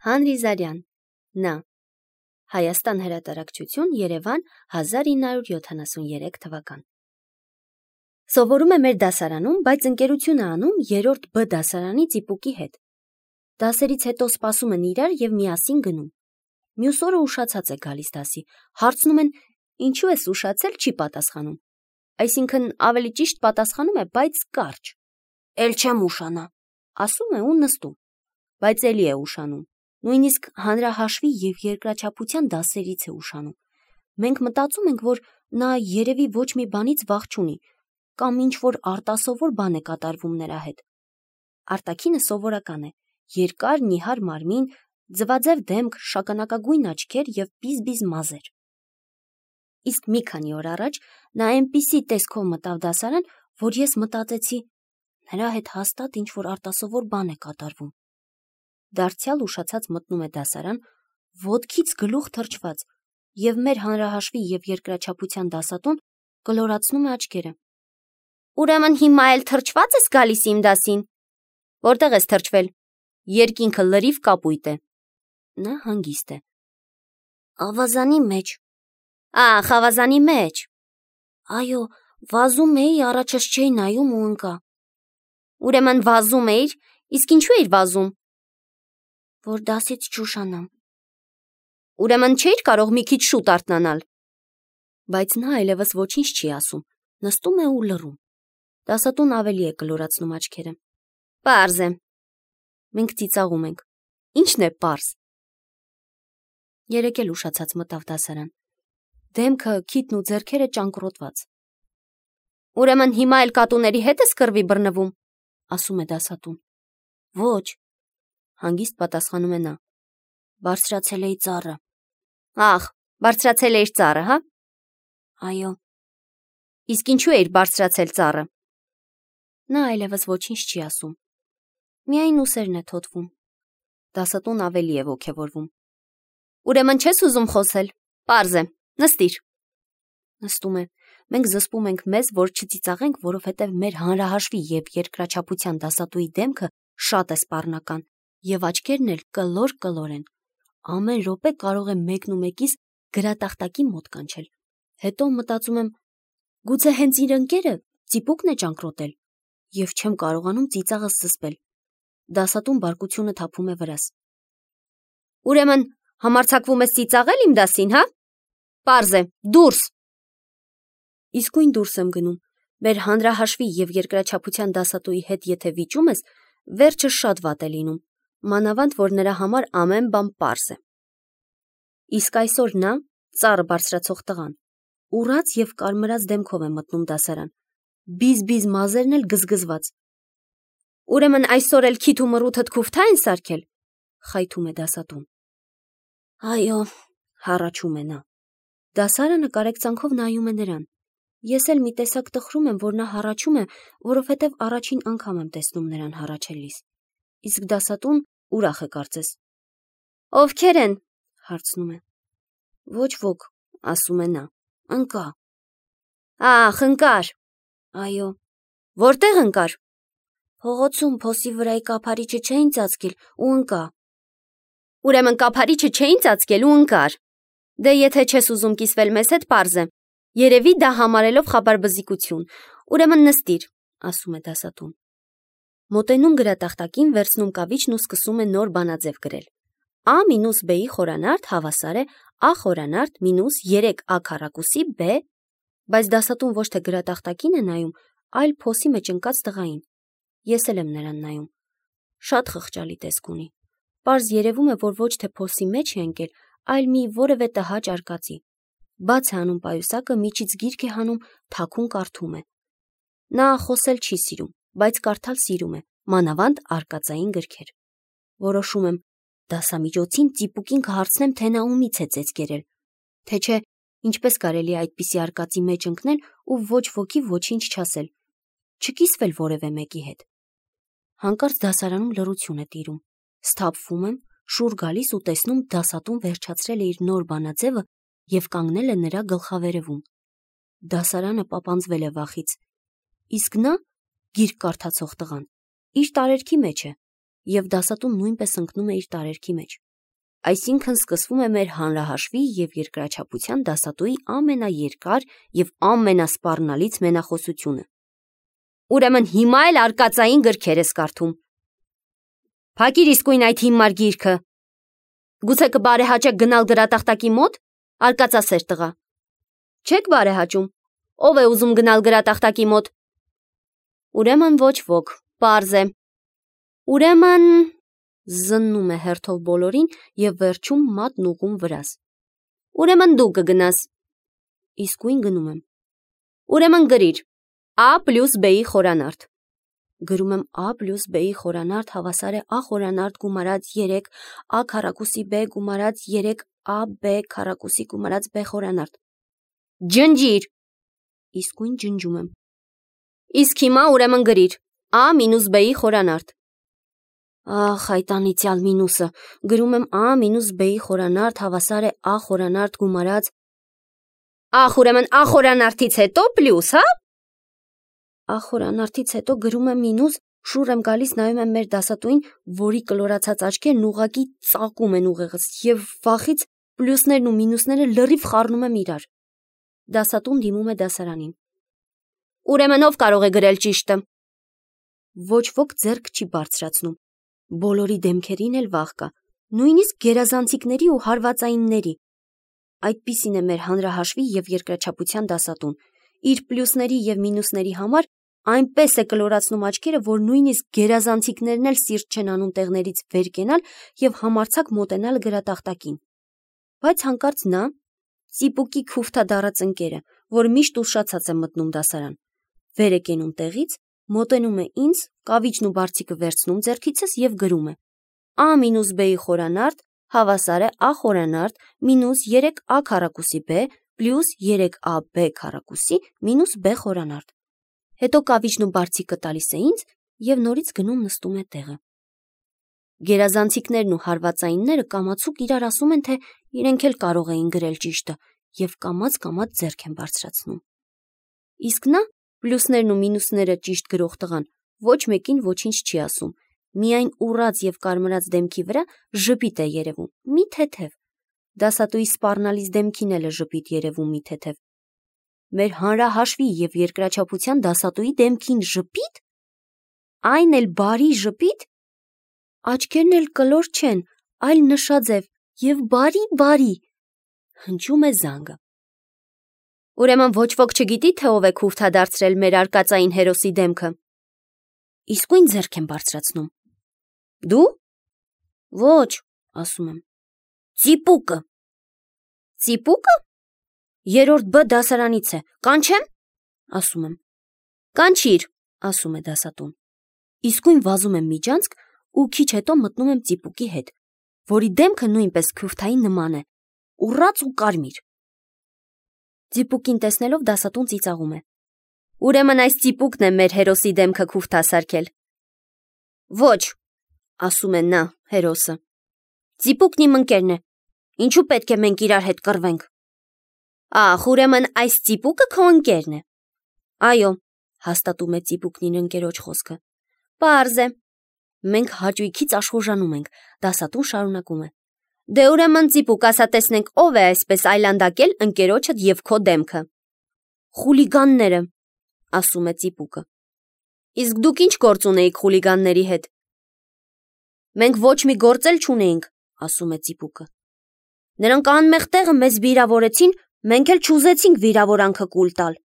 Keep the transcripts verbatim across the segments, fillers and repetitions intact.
Հանրիզարյան, Ն. Հայաստան հրատարակչություն, Երևան, հազար ինը հարյուր յոթանասուներեք թվական։ Սովորում է մեր դասարանում, բայց ընկերություն է անում երրորդ Բ դասարանի ծիպուկի հետ։ Դասերից հետո սպասում են իրար և միասին գնում։ Մյուս օրը ուշացած է գալիս դասի, հարցնում են, ինչու ես ուշացել, չի պատասխանում։ Այսինքն ավելի ճիշտ պատասխանում է, բայց կարճ։ Էլ չեմ ուշանա, ասում է ու նստում, բայց էլի է ուշանում։ Նույնիսկ հանրահաշվի և երկրաչափության դասերից է ուշանում։ Մենք մտածում ենք, որ նա երևի ոչ մի բանից վախ չունի, կամ ինչ-որ արտասովոր բան է կատարվում նրա հետ։ Արտաքինը սովորական է, երկար, նիհար մարմին, ձվաձև դեմք, շագանակագույն աչքեր և բիզ-բիզ մազեր։ Իսկ մի քանի օր առաջ նա այնպիսի տեսքով մտավ դասարան, որ ես մտածեցի, նրա հետ հաստատ ինչ-որ արտասովոր բան է կատարվում։ Դարձյալ ուշացած մտնում է դասարան, ոտքից գլուխ թրջված, և մեր հանրահաշվի և երկրաչափության դասատուն կլորացնում է աչքերը։ Ուրեմն հիմա էլ թրջված ես գալիս իմ դասին։ Որտեղ ես թրջվել։ Երկինքը լրիվ կապույտ է։ Նա հանգիստ է։ Ավազանի մեջ։ Ախ, ավազանի մեջ։ Այո, վազում էի, առաջս չէի նայում ու ընկա։ Ուրեմն վազում էիր, իսկ ինչու էիր վազում։ Որ դասից չուշանամ։ Ուրեմն չէիր կարող մի քիչ շուտ արթնանալ։ Բայց նա այլևս ոչինչ չի ասում, նստում է ու լռում։ Դասատուն ավելի է կլորացնում աչքերը։ Պարզ է։ Մենք ծիծաղում ենք։ Ինչն է պարզ։ Երեկ էլ ուշացած մտավ դասարան։ Դեմքը, քիթն ու ձեռքերը ճանկռոտված։ Ուրեմն հիմա էլ կատուների հետ ես կռվի բռնվում, ասում է դասատուն։ Ոչ, հանգիստ պատասխանում է նա։ Բարձրացել էի ծառը։ Ախ, բարձրացել էիր ծառը, հա։ Այո։ Իսկ ինչու էիր բարձրացել ծառը։ Նա այլևս ոչինչ չի ասում։ Միայն ուսերն է թոթվում։ Դասատուն ավելի է ոգևորվում։ Ուրեմն չես ուզում խոսել, պարզ է, նստիր։ Նստում է։ Մենք զսպում ենք մեզ, որ չծիծաղենք, որովհետև մեր հանրահաշվի և երկրաչափության դասատուի դեմքը շատ է սպառնական, և աչքերն էլ կլոր-կլոր են։ Ամեն րոպե կարող է մեկն ու մեկիս գրատախտակի մոտ կանչել։ Հետո մտածում եմ, գուցե հենց իր ընկերը ծիպուկն է ճանկռոտել, և չեմ կարողանում ծիծաղս զսպել։ Դասատուն բարկությունը թափում է վրաս։ Ուրեմն համարձակվում ես ծիծաղել իմ դասին, հա։ Պարզ է, դուրս։ Իսկույն դուրս եմ գնում։ Մեր հանրահաշվի և երկրաչափության դասատուի հետ եթե վիճում ես, վերջը շատ վատ է լինում, մանավանդ որ նրա համար ամեն բան պարզ է։ Իսկ այսօր նա, ծառը բարձրացող տղան, ուռած և կարմրած դեմքով է մտնում դասարան, բիզ-բիզ մազերն էլ գզգզված։ Ուրեմն այսօր էլ քիթ ու մռութդ քուֆթա են սարքել, խայթում է դասատուն։ Այո, հառաչում է նա։ Դասարանը կարեկցանքով նայում է նրան։ Ես էլ մի տեսակ տխրում եմ, որ նա հառաչում է, որովհետև առաջին անգամ եմ տեսնում նրան հառաչելիս։ Իսկ դասատուն ուրախ է կարծես։ Ովքեր են, հարցնում է։ Ոչ ոք, ասում է նա, ընկա։ Ախ, ընկար։ Այո։ Որտեղ ընկար։ Փողոցում փոսի վրայի կափարիչը չէին ծածկել ու ընկա։ Ուրեմն կափարիչը չէին ծածկել ու ընկար։ Դե եթե չես ուզում կիսվել մեզ հետ, պարզ է։ Երևի դա համարելով խաբարբզիկություն։ Ուրեմն նստիր, ասում է դասատուն։ Մոտենում գրատախտակին, վերցնում կավիճն ու սկսում է նոր բանաձև գրել։ A մինուս B-ի խորանարդ հավասար է A խորանարդ մինուս երեք A քառակուսի B, բայց դասատուն ոչ թե գրատախտակին է նայում, այլ փոսի մեջ ընկած տղային։ Ես էլ եմ նրան նայում։ Շատ խղճալի տեսք ունի։ Պարզ երևում է, որ ոչ թե փոսի մեջ է ընկել, այլ մի որևէ տհաճ արկածի։ Բաց է անում պայուսակը, միջից գիրք է հանում, թաքուն կարդում է։ Նա խոսել չի սիրում, բայց կարդալ սիրում է, մանավանդ արկածային գրքեր։ Որոշում եմ, դասամիջոցին ծիպուկին կհարցնեմ, թե նա ումից է ծեծ կերել, թե չէ, ինչպես կարելի է այդպիսի արկածի մեջ ընկնել ու ոչ ոքի ոչինչ չասել, չկիսվել որևէ մեկի հետ։ Հանկարծ դասարանում լռություն է տիրում։ Սթափվում եմ, շուռ գալիս ու տեսնում դասատուն վերջացրել է իր նոր բանաձևը և կանգնել է նրա գլխավերևում։ Դասարանը պապանձվել է վախից։ Իսկ նա, գիրք կարդացող տղան, իր տարերքի մեջ է, և դասատուն նույնպես ընկնում է իր տարերքի մեջ։ այսինքն սկսվում է մեր հանրահաշվի և երկրաչափության դասատուի ամենաերկար և ամենասպառնալից մենախոսությունը։ Ուրեմն հիմա էլ արկածային գրքեր ես կարդում։ Փակիր իսկույն այդ հիմար գիրքը։ Գուցե կբարեհաճեք գնալ գրատախտակի մոտ, արկածասեր տղա։ Չեք բարեհաճում։ Ով է ուզում գնալ գրատախտակի մոտ։ Ուրեմն ոչ ոք, պարզ է։ Ուրեմն զննում է հերթով բոլորին և վերջում մատն ուղղում վրաս։ Ուրեմն դու կգնաս։ Իսկույն գնում եմ։ Ուրեմն գրիր A պլյուս B-ի խորանարդ։ Գրում եմ A պլյուս B-ի խորանարդ հավասար է A խորանարդ գումարած երեք A քառակուսի B գումարած երեք A B քառակուսի գումարած B խորանարդ։ Ջնջիր։ Իսկույն ջնջում եմ։ Իսկ հիմա ուրեմն գրիր A մինուս B-ի խորանարդ։ Ախ, այդ անիծյալ մինուսը։ Գրում եմ A մինուս B-ի խորանարդ հավասար է A խորանարդ գումարած։ Ախ, ուրեմն A խորանարդից հետո պլյուս, հա։ A խորանարդից հետո գրում եմ մինուս, շուռ եմ գալիս, նայում եմ մեր դասատուին, որի կլորացած աչքերն ուղղակի ծակում են ուղեղս, և վախից պլյուսներն ու մինուսները լրիվ խառնում եմ իրար։ Դասատուն դիմում է դասարանին։ Ուրեմն ով կարող է գրել ճիշտը։ Ոչ ոք ձեռք չի բարձրացնում։ Բոլորի դեմքերին էլ վախ կա, նույնիսկ գերազանցիկների ու հարվածայինների։ Այդպիսին է մեր հանրահաշվի և երկրաչափության դասատուն։ Իր պլյուսների և մինուսների համար այնպես է կլորացնում աչքերը, որ նույնիսկ գերազանցիկներն էլ սիրտ չեն անում տեղներից վեր կենալ և համարձակ մոտենալ գրատախտակին։ Բայց հանկարծ նա, ծիպուկի քուֆթադառած ընկերը, որ միշտ ուշացած է մտնում դասարան, վեր է կենում տեղից, մոտենում է ինձ, կավիճն ու բարձիկը վերցնում ձեռքիցս և գրում է A մինուս B-ի խորանարդ հավասար է A խորանարդ մինուս երեք A քառակուսի B պլյուս երեք A B քառակուսի մինուս B խորանարդ։ Հետո կավիճն ու բարձիկը տալիս է ինձ և նորից գնում նստում է տեղը։ Գերազանցիկներն ու հարվածայինները կամացուկ իրար ասում են, թե իրենք էլ կարող էին գրել ճիշտը և կամաց-կամաց ձեռք են բարձրացնում։ Իսկ նա, պլյուսներն ու մինուսները ճիշտ գրող տղան, ոչ մեկին ոչինչ չի ասում, միայն ուռած և կարմրած դեմքի վրա ժպիտ է երևում, մի թեթև։ Դասատուի սպառնալից դեմքին էլ է ժպիտ երևում մի թեթև։ Մեր հանրահաշվի և երկրաչափության դասատուի դեմքին ժպի՞տ։ Այն էլ բարի ժպիտ։ Աչքերն էլ կլոր չեն, այլ նշաձև և բարի-բարի։ Հնչում է զանգը։ Ուրեմն ոչ ոք չգիտի, թե ով է քուֆթադարձրել մեր արկածային հերոսի դեմքը։ Իսկույն ձեռք եմ բարձրացնում։ Դու։ Ոչ, ասում եմ։ Ծիպուկը։ Ծիպուկը։ Երրորդ B դասարանից է, կանչեմ, ասում եմ։ Կանչիր, ասում է դասատուն։ Իսկույն վազում եմ միջանցք ու քիչ հետո մտնում եմ ծիպուկի հետ, որի դեմքը նույնպես քուֆթայի նման է, ուռած ու կարմիր։ Ծիպուկին տեսնելով դասատուն ծիծաղում է։ Ուրեմն այս ծիպուկն է մեր հերոսի դեմքը քուֆթասարքել։ Ոչ, ասում է նա, հերոսը։ Ծիպուկն իմ ընկերն է։ Ինչու պետք է մենք իրար հետ կռվենք։ Ախ, ուրեմն այս ծիպուկը քո ընկերն է։ Այո, հաստատում է ծիպուկն իր ընկերոջ խոսքը։ Պարզ է։ Մենք հաճույքից աշխուժանում ենք, դասատուն շարունակում է։ Դե ուրեմն ծիպուկ, ասա տեսնենք ով է այսպես այլանդակել ընկերոջդ և քո դեմքը։ Խուլիգանները, ասում է ծիպուկը։ Իսկ դուք ինչ գործ ունեիք խուլիգանների հետ։ Մենք ոչ մի գործ էլ չունեինք, ասում է ծիպուկը։ Նրանք անմեղ տեղը մեզ վիրավորեցին, մենք էլ չուզեցինք վիրավորանքը կուլ տալ։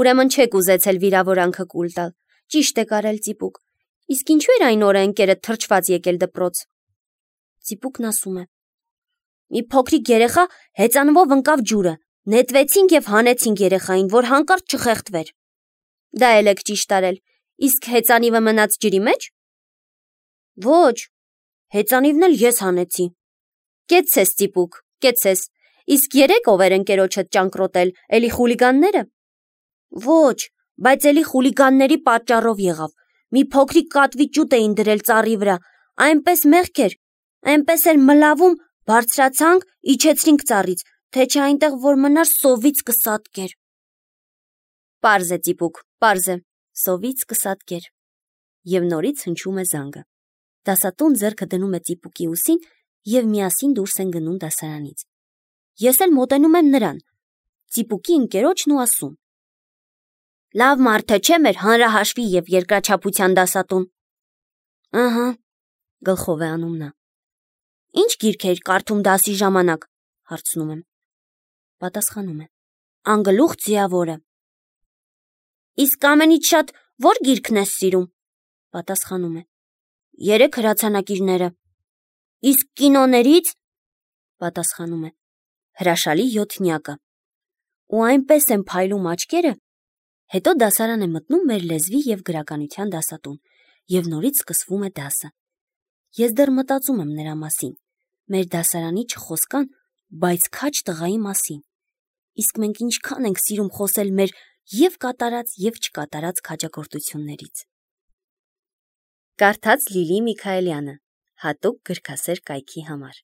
Ուրեմն չեք ուզեցել վիրավորանքը կուլ տալ։ Ճիշտ եք արել, ծիպուկ։ Իսկ ինչու էր այն օրը ընկերդ թրջված եկել դպրոց։ Ծիպուկն ասում է. Մի փոքրիկ երեխա հեծանվով ընկավ ջուրը, նետվեցինք և հանեցինք երեխային, որ հանկարծ չխեղդվեր։ Դա էլ եք ճիշտ արել։ Իսկ հեծանիվը մնաց ջրի մեջ։ Ոչ, հեծանիվն էլ ես հանեցի։ Կեցցես, ծիպուկ, կեցցես։ Իսկ երեք ով էր ընկերոջդ ճանկռոտել, էլի խուլիգանները։ Ոչ, բայց էլի խուլիգանների պատճառով եղավ։ Մի փոքրիկ կատվի ճուտ էին դրել ծառի վրա, այնպես մեղք էր, այնպես էլ մլավում, բարձրացանք, իջեցրինք ծառից, թե չէ այնտեղ որ մնար սովից կսատկեր։ Պարզ է, ծիպուկ, պարզ է, սովից կսատկեր։ Եվ նորից հնչում է զանգը։ Դասատուն ձեռքը դնում է ծիպուկի ուսին և միասին դուրս են գնում դասարանից։ Ես էլ մոտենում եմ նրան, ծիպուկի ընկերոջն ու ասում. «Լավ մարդ է, չէ՞ մեր հանրահաշվի և երկրաչափության դասատուն»։ Ըհը, գլխով է անում նա։ Ինչ գիրք էիր կարդում դասի ժամանակ, հարցնում եմ։ Պատասխանում է. Անգլուխ ձիավորը։ Իսկ ամենից շատ ո՞ր գիրքն ես սիրում, պատասխանում է։ Երեք հրացանակիրները։ Իսկ կինոներից, պատասխանում է, հրաշալի յոթնյակը։ Ու այնպես են փայլում աչքերը, հետո դասարան է մտնում մեր լեզվի և գրականության դասատուն, և նորից սկսվում է դասը։ Ես դեռ մտածում եմ նրա մասին, մեր դասարանի չխոսկան, բայց քաջ տղայի մասին։ Իսկ մենք ինչքան ենք սիրում խոսել մեր և կատարած, և չկատարած քաջագործություններից։ Կարդաց Լիլի Միքայելյանը, հատուկ գրքասեր կայքի համար։